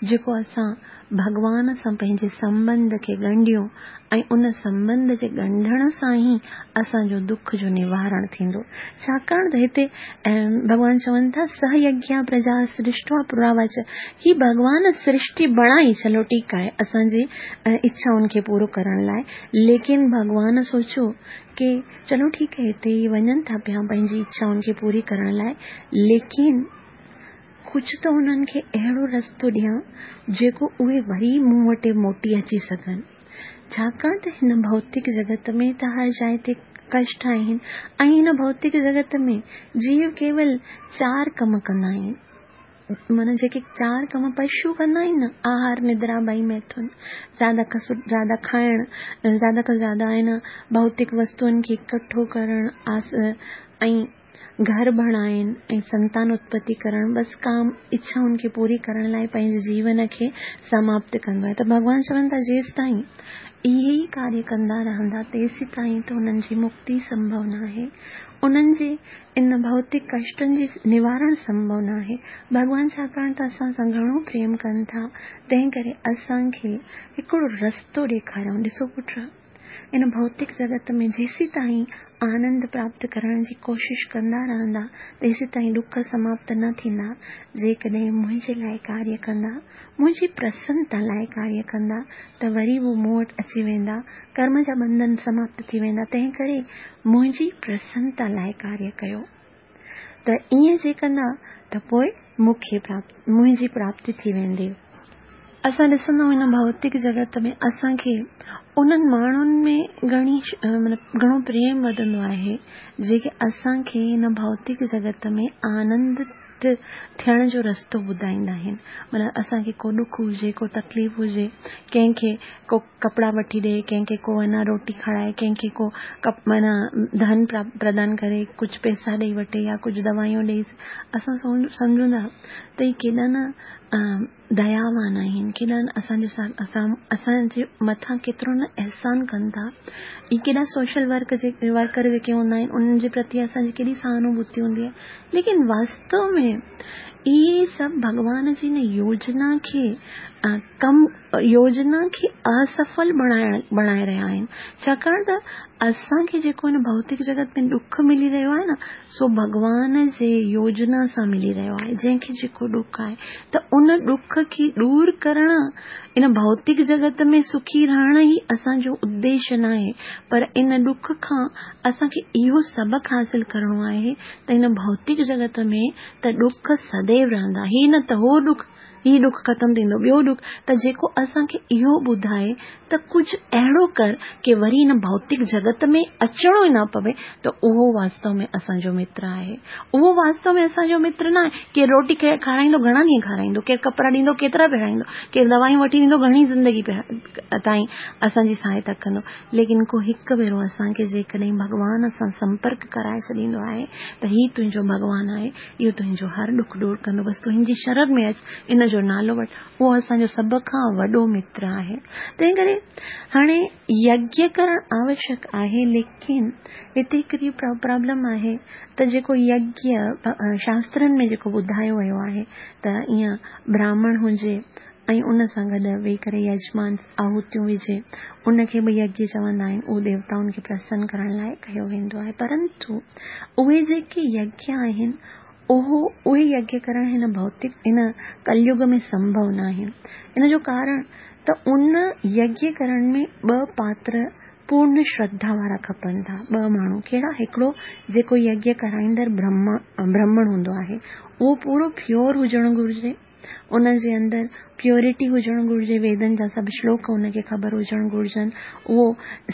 جيڪو اسان ڀڳوان سان پنهنجي سنٻنڌ کي ڳنڍيون ۽ ان سنٻنڌ جي ڳنڍڻ سان ئي اسان جو ڏک جو نوارڻ ٿيندو. ڇاڪاڻ ته هتي ڀڳوان چون ٿا سه يگيا پرجا سرشٽوا پراوچ. هي ڀڳوان سرشٽي بڻائي، چلو ٺيڪ آهي اسان جي اڇائن کي پورو ڪرڻ لاءِ، ليڪن ڀڳوان سوچيو ڪه چلو ٺيڪ آهي هتي ئي وڃن ٿا پيا پنهنجي اڇائن کي پوري ڪرڻ لاءِ، ليڪن ڪجهه ته هنن کي اهڙو رستو ڏيان جيڪو اهي وري مون وٽ موٽي اچي سگهن. ڇاڪاڻ ته هن ڀوتڪ جڳت ۾ ته هر جاءِ تي ڪشٽ آهن ۽ هن ڀوتڪ جڳت ۾ جيو ڪيول چار ڪم ڪندا آهن. معنيٰ جيڪي چار ڪم پشو ڪندا آهن نه، آهار، ندرا، ڀئي ميٿن، زياده کان زياده کائڻ، زياده کان زياده آهن ڀوتڪ وستوئن کي اڪٺو ڪرڻ ۽ گهر بڻائڻ ۽ سنتان اتپتي ڪرڻ، بس ڪام اڇائن کي پوري ڪرڻ لاءِ پنهنجي جيون کي سماپت ڪندو آهي. ته ڀڳوان چون ٿا جيستائين اهي ئي ڪاريه ڪندا رهندا تيسين تائين ته انهن جي مڪتي سنڀو نه آهي، انهن جي ان ڀوتڪ ڪشٽن جي نوارڻ سنڀو نه آهي. ڀڳوان ڇاڪاڻ ته اسان سان گهڻو پريم ڪن ٿا، تنهن ڪري اسان کي هڪڙو رستو ڏيکاريائون. ڏسو پٽ، ان ڀوتڪ جڳت ۾ جيسين تائين آنند پراپت ڪرڻ جي ڪوشش ڪندا رهندا تيسين تائين ڏک سماپت نه ٿيندا. جيڪڏهن منهنجي لاءِ ڪاريه ڪندا، منهنجي پرسنتا لاءِ ڪاريه ڪندا ته وري اهو مون وٽ اچي ويندا، ڪرم جا ٻنڌن سماپت ٿي ويندا. تنهن ڪري منهنجي پرسنتا لاءِ ڪاريه ڪيو ته ائين جي ڪندا ته پوءِ مون کي منهنجي پراپتي ٿي ويندي. اسان ڏسندا آهيون هن ڀوتڪ جڳت ۾ اسان کي انهن ماڻهن ۾ گهڻي مطلب گهڻو پريم وڌندو آهي جيڪي اسان کي هن ڀوتڪ جڳت ۾ آنند ٿيڻ جو رستو ٻڌائيندا آهن. مطلب اسان کي ڪو ڏک هجي، ڪو تڪليف هجي، ڪنهن کي ڪو ڪپڙا وٺي ڏي، ڪنهن کي ڪو اڃا روٽي کارائي، ڪنهن کي ڪو معنيٰ ڌن پردان ڪري، ڪجهه پئسا ڏيئي وٺي يا ڪجهه دوائيون ڏيئي، اسان سمجهون ٿا ته هي ڪيڏا نه دياوان آهن، ڪيڏا نه اسان جي سان اسان اسان جي مٿان ڪيترو نه احسان ڪن ٿا. اهي ڪيڏا سوشل ورڪ جي ورڪر جيڪي هوندا آهن انهن جي پرتي اسان جي ڪيڏي سهانوڀوتي هوندي آهي. ليڪن واستو ۾ اهي سڀ ڀڳوان جي هن يوجنا کي ڪم يوجنا کي اسڦل بڻائڻ بڻائي رهيا آهن. ڇاڪاڻ ته اسان کي جيڪو هن ڀوتڪ جڳت ۾ ڏک ملي رهيو آهي نه، سو ڀڳوان جي يوجنا سان ملي رهيو آهي. جنهن کي جيڪو ڏک آهي ته ان ڏک کي دور ڪرڻ، ان ڀوتڪ جڳت ۾ سکي رهڻ ئي اسان جو اديش ناهي، پر ان ڏک کان اسان کي اهو سبق حاصل ڪرڻو آهي ته هن ڀوتڪ جڳت ۾ ته ڏک سديو رهندا، هي نه ته هو ڏک، هي ڏک ختم ٿيندو، ٻيو ڏک، ته جيڪو اسان کي اهو ٻڌائي ته ڪجهه اهڙو ڪر ڪي وري هن ڀوتڪ جڳت ۾ اچڻو ئي نه پوي، ته اهو واستو ۾ اسان جو متر آهي. اهو واستو ۾ اسان جو متر نه آهي. ڪير روٽي کارائيندو گهڻا ڏينهن کارائيندو، ڪير ڪپڙا ڏيندو ڪيترا پهرائيندو، ڪير دوائيون وٺي ڏيندو گهڻي زندگي تائين اسان جي سهائتا ڪندو. ليڪن ڪو هڪ ڀيرو اسان کي جيڪڏهن ڀڳوان سان سمپرڪ ڪرائي ڇڏيندو آهي ته هي تنهنجو ڀڳوان آهي، اهو تنهنجو هر ڏک دور ڪندو، بس تون هن جي شرڻ ۾ اچ، ان جو نالو وٺ، اهو اسان جو سڀ کان وڏو متر آهي. تنهن ڪري هاڻي يگيه ڪرڻ آوشيڪ آهي، ليڪن هتي هڪڙي پرابلم آهي ته جيڪو يگيه شاسترن ۾ جيڪو ٻڌايو ويو آهي ته ائين براهمڻ هجي ۽ ان سان گڏ ويهي ڪري يجمان آهوتيون وجهي، ان کي به يگيه چوندا آهن، اهو ديوتائن کي پرسن ڪرڻ لاءِ ڪيو ويندو آهي. پرنتو اهي جيڪي يگيه آهن اهو اهي يگيه ڪرڻ هن ڀوتڪ هن ڪليگ ۾ سمڀو نه آهن. ان جو ڪارڻ ته ان يگيه ڪرڻ ۾ ٻه پاتر پورڻ شرڌا وارا کپن ٿا. ٻه ماڻهو ڪهڙا؟ هڪڙو جيڪو يگيه ڪرائيندڙ برهمڻ هوندو آهي، اهو پورو پيور هجڻ گهرجي، ان جي اندر پيورٽي هجڻ گهرجي، ويدن جا سڀ شلوڪ ان کي خبر هجڻ گهرجن، اهو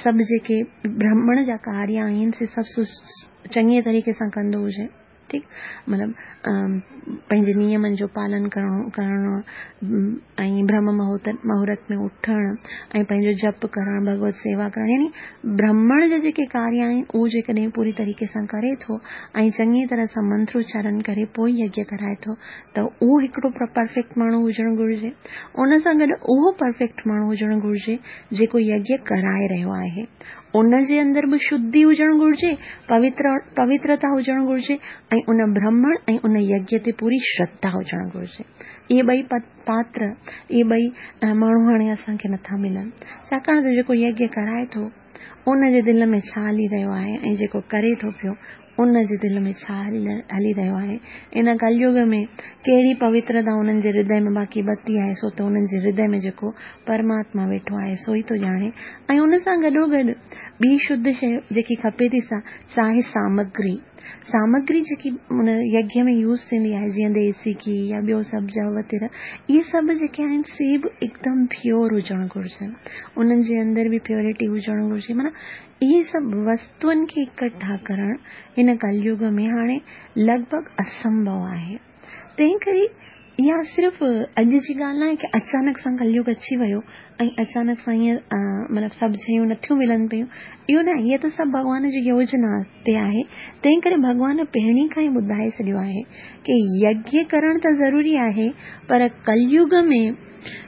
سڀ جيڪي برهمڻ جا ڪاريه آهن سي سڀ چڱي طريقي سان ڪندو هجي، ٺيڪ، مطلب پنهنجي نيمن جو پالن ڪرڻو ڪرڻو ۽ برهم مهورت ۾ اٿڻ ۽ پنهنجو جپ ڪرڻ، ڀڳوت سيوا ڪرڻ، يعني برهمڻ جا جيڪي ڪاريه آهن اهو جيڪڏهن پوري طريقي سان ڪري ٿو ۽ چڱي طرح سان منتروچارڻ ڪري پوءِ يگيه ڪرائي ٿو ته اهو هڪڙو پرفيڪٽ ماڻهو هجڻ گهرجي. ان سان گڏ اهو پرفيڪٽ ماڻهو هجڻ گهرجي جيڪو يگيه ڪرائي رهيو آهي، ان جي اندر به شڌي هجڻ گهرجي، پوتر پوترتا هجڻ گهرجي ۽ ان برهمڻ ۽ ان يگيه تي پوري شرڌا هجڻ گهرجي. اهي ٻئي پاتر، اهي ٻئي ماڻهو هاڻي اسان کي نٿا ملن، ڇاڪاڻ ته جيڪو يگيه ڪرائي ٿو ان جي دل ۾ ڇا هلي رهيو آهي ۽ جيڪو ڪري ٿو پيو ان جي دل ۾ ڇا هلي رهيو آهي. ان ڪليگ ۾ ڪهڙي پوترتا انهن جي هردي ۾ باقي بتي آهي، سو ته انهن جي هردي ۾ جيڪو پرماتما ويٺو آهي سو ئي ٿو ڄاڻي. ۽ ان سان گڏو گڏ ٻي شڌ شيءِ جيڪي کپي ٿي سا آهي سامگري. سامگري جيڪي ان يگيه ۾ يوز ٿيندي آهي، جيئن ديسي گيهه يا ٻيو سڀ جو وغيره، اهي سڀ جيڪي آهن سي به هڪدم پيور هجڻ گهرجن، انهن جي اندر به پيورٽي هجڻ گهرجي. معنيٰ اهي سڀ وستوئن کي اڪٺا ڪرڻ هن ڪليگ ۾ هاڻي لڳ ڀڳ اسنڀو آهي. تنهن ڪري اها صرف اڄ جي ڳالهه نه آهي ڪه اچانڪ سان ڪليگ اچي ويو ۽ اچانڪ سان ائين مطلب سڀ شيون نٿيون ملن پيون، اهو نه آهي. اها ته سڀ ڀڳوان جي يوجنا تي آهي. تنهن ڪري ڀڳوان پهرين کان ئي ٻڌائي ڇڏيو آهي ڪه يگيه ڪرڻ ته ضروري آهي، پر ڪليگ ۾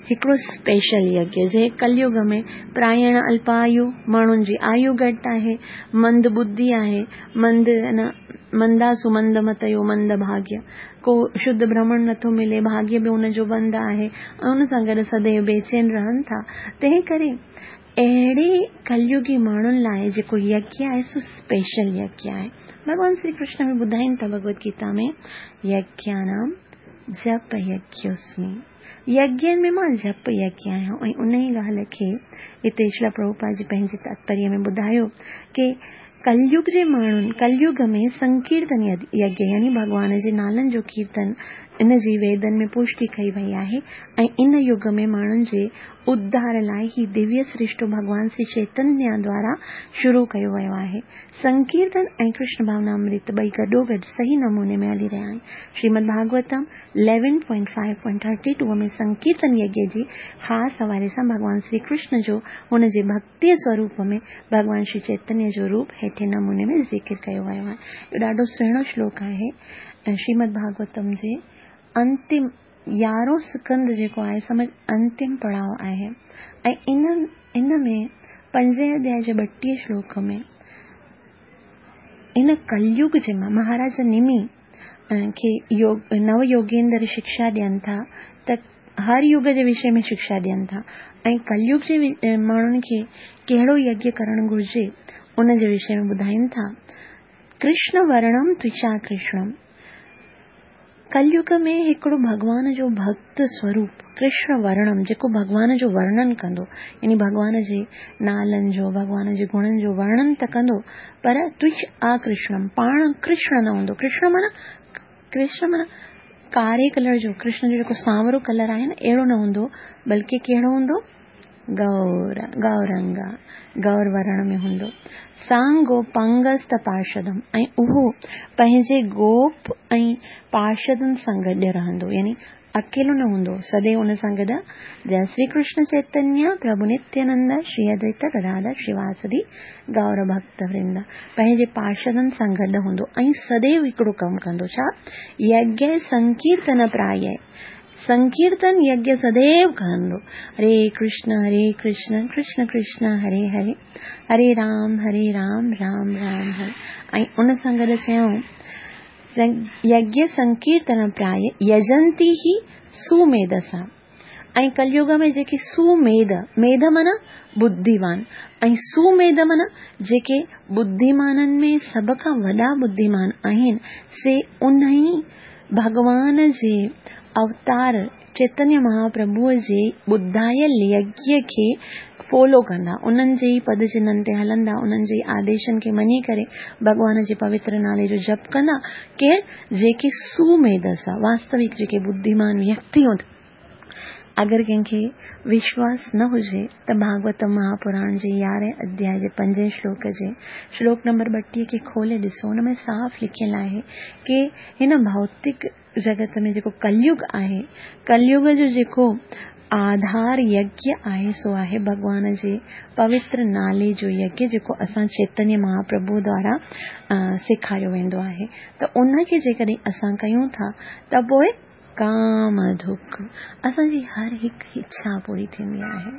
هڪڙو اسپيشل يگيه، جنهن ڪليگ ۾ پرائڻ الپايو، ماڻهن جي آيو گهٽ آهي، مند ٻڌي آهي، مند نه مندا سمند متيو مند ڀاگيه، ڪو شڌ برهمڻ نٿو ملي، ڀاگيه به ان جو بند آهي ۽ ان سان گڏ سديو بيچين رهن ٿا. تنهن ڪري اهڙي ڪليگي ماڻهن لاءِ جيڪو يگيه آهي سو اسپيشل يگيه آهي. ڀڳوان شري ڪرشن به ٻڌائين ٿا ڀڳوت گيتا ۾ يگيانام جپ يگيوسمي، यज्ञनि में मां जप यज्ञ आहियां। ऐं उन ई ॻाल्हि खे हिते श्रील प्रभुपाद जी पंहिंजे तात्पर्य में ॿुधायो की कलयुग जे माण्हुनि कलयुग में संकीर्तन यज्ञ यानी भॻवान जे नालनि जो कीर्तन इन जी वेदनि में पुष्टि कई वई आहे ऐं इन युग में माण्हुनि जे उद्धार लाइ ही दिव्य सृष्टो भॻवान श्री चैतन्य द्वारा शुरू कयो वियो आहे। संकीर्तन ऐं कृष्ण भावनामृत ॿई गॾोगॾु सही नमूने में हली रहिया आहिनि। Shrimad Bhagavatam eleven point five point thirty two में संकीर्तन यज्ञ जी ख़ासि हवाले सां भॻवान श्री कृष्ण जो हुन जे भक्ति स्वरूप में भॻवान श्री चैतन्य जो रूप हेठे नमूने में ज़िक्र कयो वियो आहे। इहो ॾाढो सुहिणो श्लोक आहे ऐं श्रीमद भागवतम जे अंतिम यारहों स्कंद जेको आहे समझ अंतिम पड़ाव आहे ऐं इन इन में पंजे अध्याय जे ॿटीह श्लोक में इन कलयुग जे महाराज निमी खे योग नव योगेंद्र शिक्षा ॾियनि था त हर युग जे विषय में शिक्षा ॾियनि था ऐं कलयुग जे माण्हुनि खे कहिड़ो यज्ञ करणु घुरिजे उन जे विषय में ॿुधाइनि था। कृष्ण वर्णम त्विषा कृष्णम, कलयुग में हिकिड़ो भॻवान जो भक्त स्वरूप कृष्ण वर्णम जेको भॻवान जो वर्णन कंदो यानी भॻवान जे नालनि जो भॻवान जे गुणनि जो वर्णन त कंदो पर त्विष अकृष्णम पाण कृष्ण न हूंदो। कृष्ण माना कृष्ण माना कारे कलर जो कृष्ण जो जेको सांवरो कलर आहे न अहिड़ो न हूंदो बल्कि कहिड़ो हूंदो गौर गौरंगा गौर वर्ण में हूंदो। सांगो पंगस्त पार्षदम ऐं उहो पंहिंजे गोप ऐं पार्षदनि सां गॾु रहंदो यानी अकेलो न हूंदो सदैव उन सां गॾु। जय श्री कृष्ण चैतन्य प्रभु नित्यानंद श्री अद्वैत गदाधर श्रीवासदि गौर भक्त वृंद। पंहिंजे पार्षदनि सां गॾु हूंदो ऐं सदैव हिकिड़ो कमु कंदो छा यज्ञ संकीर्तन प्राय संकीर्तन यज्ञ सदैव कंदो। हरे कृष्ण हरे कृष्ण कृष्ण कृष्ण हरे हरे हरे राम हरे राम राम राम हरे। ऐं उन सां गॾु चयऊं यज्ञ संकीर्तन प्राय यजंती ही सुमेधसा। ऐं कलयुग में जेके सुमेध मेध माना बुद्धिवान ऐं सुमेध माना जेके बुद्धिमाननि में सभ खां वॾा बुद्धिमान आहिनि से उन ई भॻवान जे अवतार चैतन्य महाप्रभुअ जे ॿुधायल यज्ञ खे फॉलो कंदा उन्हनि जे ई पद चिन्हनि ते हलंदा उन्हनि जे आदेशनि खे मञी करे भॻवान जे पवित्र नाले जो जप कंदा। केरु जेके सुमेधसा वास्तविक जेके बुद्धिमान व्यक्ति हूंदा। अगरि कंहिंखे विश्वास न हुजे त भागवत महापुराण जे यारहें अध्याय जे पंजे श्लोक जे श्लोक नंबर ॿटीह खे खोले ॾिसो हुन में साफ़ लिखियलु आहे की हिन भौतिक जगत में जेको कलयुग आहे कलयुग जो जेको आधार यज्ञ आहे सो आहे भॻवान जे पवित्र नाले जो यज्ञ जेको असां चैतन्य महाप्रभु द्वारा सेखारियो वेंदो आहे। त उनखे जेकॾहिं असां कयूं था त पोइ काम दुख असांजी हर हिकु इच्छा पूरी थींदी आहे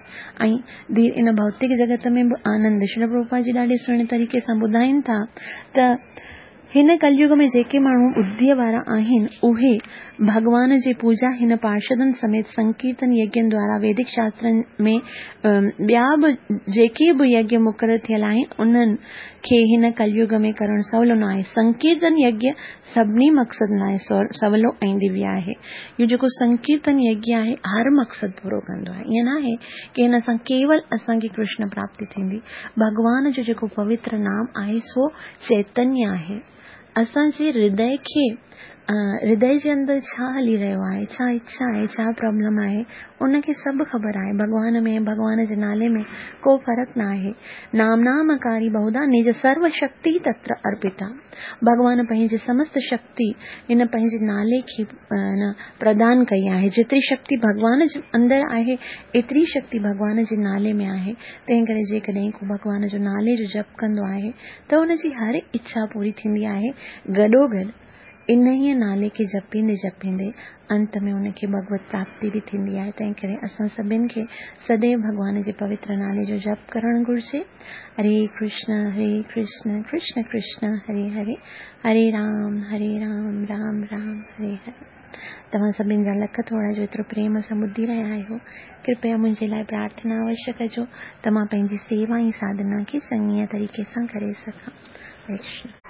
ऐं इन भौतिक जगत में बि आनंद। श्री प्रभुपाद जी ॾाढे सुहिणे तरीक़े सां ॿुधाइनि था त हिन कलयुग में जेके माण्हू बुद्धीअ वारा आहिनि उहे भॻवान जी पूजा हिन पार्षदनि समेत संकीर्तन यज्ञनि द्वारा वैदिक शास्त्रनि में ॿिया बि जेके बि यज्ञ मुक़ररु थियल आहिनि उन्हनि खे हिन कलयुग में करणु सवलो न आहे। संकीर्तन यज्ञ सभिनी मक़सदनि लाइ सवलो ऐं दिव्य आहे। इहो जेको संकीर्तन यज्ञ आहे हर मक़सदु पूरो कंदो आहे। ईअं न आहे की हिन सां केवल असांखे कृष्ण प्राप्ति थींदी। भॻवान जो जेको पवित्र नाम आहे सो चैतन्य आहे। असांजे हृदय खे हृदय जे अंदरि छा हली रहियो आहे, छा इच्छा आहे, छा प्रॉब्लम आहे, उनखे सभु ख़बर आहे। भॻवान में भॻवान जे नाले में को फ़र्क़ु न आहे। नाम नामकारी बहुधा निज सर्व शक्ति तत्र अर्पिता। भॻवान पंहिंजी समस्त शक्ति हिन पंहिंजे नाले खे न प्रदान कई आहे। जेतिरी शक्ति भॻवान जे अंदरि आहे एतिरी शक्ति भॻवान जे नाले में आहे। तंहिं करे जेकॾहिं को भॻवान जो नाले जो जप कंदो आहे त हुनजी हर इच्छा पूरी थींदी आहे। गॾोगॾु इन ई नाले खे जपींदे जपींदे अंत में उनखे भगवत प्राप्ति बि थींदी आहे। तंहिं करे असां सभिनी खे सदैव भॻवान जे पवित्र नाले जो जप करणु घुरिजे। हरे कृष्ण हरे कृष्ण कृष्ण कृष्ण हरे हरे हरे राम हरे राम राम राम हरे हरे। तव्हां सभिनी जा लख थोरा जो एतिरो प्रेम सां ॿुधी रहिया आहियो, कृपया मुंहिंजे लाइ प्रार्थना अवश्य कजो त मां पंहिंजी सेवा ऐं साधना खे चङीअ तरीक़े सां करे सघां। हरे कृष्ण।